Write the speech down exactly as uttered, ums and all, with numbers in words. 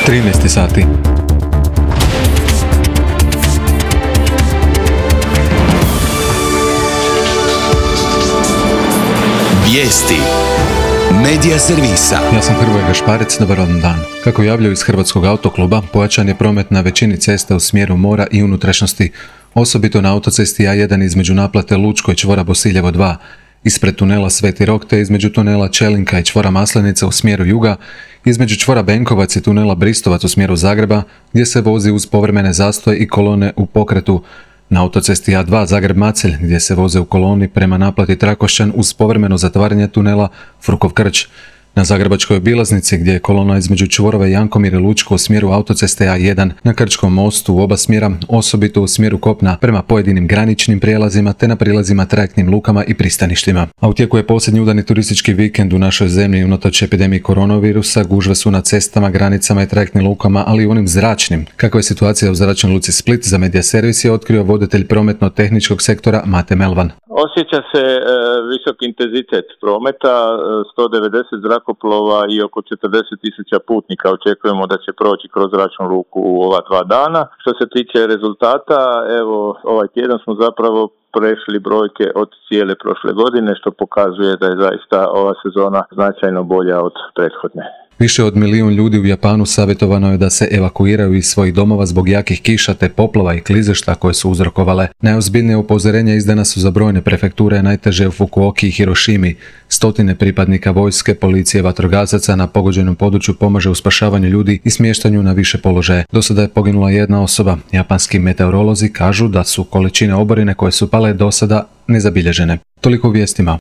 trinaest sati. Vijesti Medija servisa. Ja sam Hrvoje Gašparec, dobar vam dan. Kako javljaju iz Hrvatskog autokluba, pojačan je promet na većini cesta u smjeru mora i unutrašnjosti, osobito na autocesti A jedan između naplate Lučko i čvora Bosiljevo dva, ispred tunela Sveti Rok te između tunela Čelinka i čvora Maslenica u smjeru juga, između čvora Benkovac i tunela Bristovac u smjeru Zagreba, gdje se vozi uz povremene zastoje i kolone u pokretu. Na autocesti A dva Zagreb-Macelj, gdje se voze u koloni prema naplati Trakošćan uz povremeno zatvaranje tunela Frukov-Krč. Na zagrebačkoj obilaznici, gdje je kolona između čvorova Jankomir i Lučko u smjeru autoceste A jedan, na Krčkom mostu u oba smjera, osobito u smjeru kopna prema pojedinim graničnim prijelazima te na prilazima trajektnim lukama i pristaništima. A u tijeku je posljednji udani turistički vikend u našoj zemlji. Unatoč epidemiji koronavirusa, gužve su na cestama, granicama i trajektnim lukama, ali i onim zračnim. Kakva je situacija u zračnoj luci Split, za Medija servis je otkrio voditelj prometno-tehničkog sektora Mate Melvan. Osjeća se e, visok intenzitet prometa, sto devedeset zrakoplova i oko četrdeset tisuća putnika očekujemo da će proći kroz zračnu luku u ova dva dana. Što se tiče rezultata, evo ovaj tjedan smo zapravo prešli brojke od cijele prošle godine, što pokazuje da je zaista ova sezona značajno bolja od prethodne. Više od milijun ljudi u Japanu savjetovano je da se evakuiraju iz svojih domova zbog jakih kiša te poplava i klizešta koje su uzrokovale. Najozbiljnije upozorenja izdana su za brojne prefekture, najteže u Fukuoki i Hirošimi. Stotine pripadnika vojske, policije, vatrogasaca na pogođenom području pomaže u spašavanju ljudi i smještanju na više položaje. Do sada je poginula jedna osoba. Japanski meteorolozi kažu da su količine oborine koje su pale do sada nezabilježene. Toliko u vijestima.